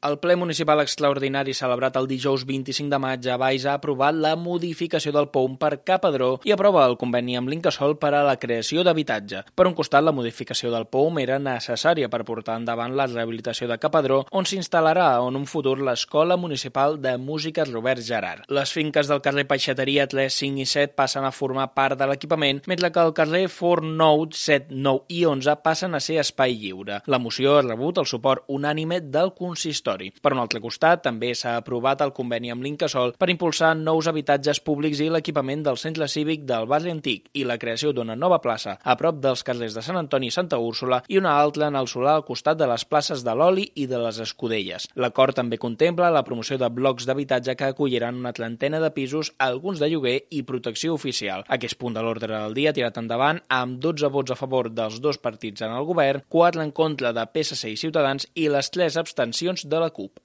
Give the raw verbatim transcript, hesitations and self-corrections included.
El ple municipal extraordinari celebrat el dijous vint-i-cinc de maig a Valls ha aprovat la modificació del P O U M per Capadró i aprova el conveni amb l'Incasòl per a la creació d'habitatge. Per un costat, la modificació del P O U M era necessària per portar endavant la rehabilitació de Capadró, on s'instal·larà en un futur l'Escola Municipal de Música Robert Gerard. Les finques del carrer Peixateria tres, cinc i set passen a formar part de l'equipament, mentre que el carrer Forn nou, set, nou i onze passen a ser espai lliure. La moció ha rebut el suport unànime del consistori. Per un altre costat, també s'ha aprovat el conveni amb l'Incasòl per impulsar nous habitatges públics i l'equipament del centre cívic del barri antic i la creació d'una nova plaça a prop dels carrers de Sant Antoni i Santa Úrsula i una altra en el solar al costat de les places de l'Oli i de les Escudelles. L'acord també contempla la promoció de blocs d'habitatge que acolliran una trentena de pisos, alguns de lloguer i protecció oficial. Aquest punt de l'ordre del dia tirat endavant amb dotze vots a favor dels dos partits en el govern, quatre en contra de P S C i Ciutadans i les tres abstencions de la CUP.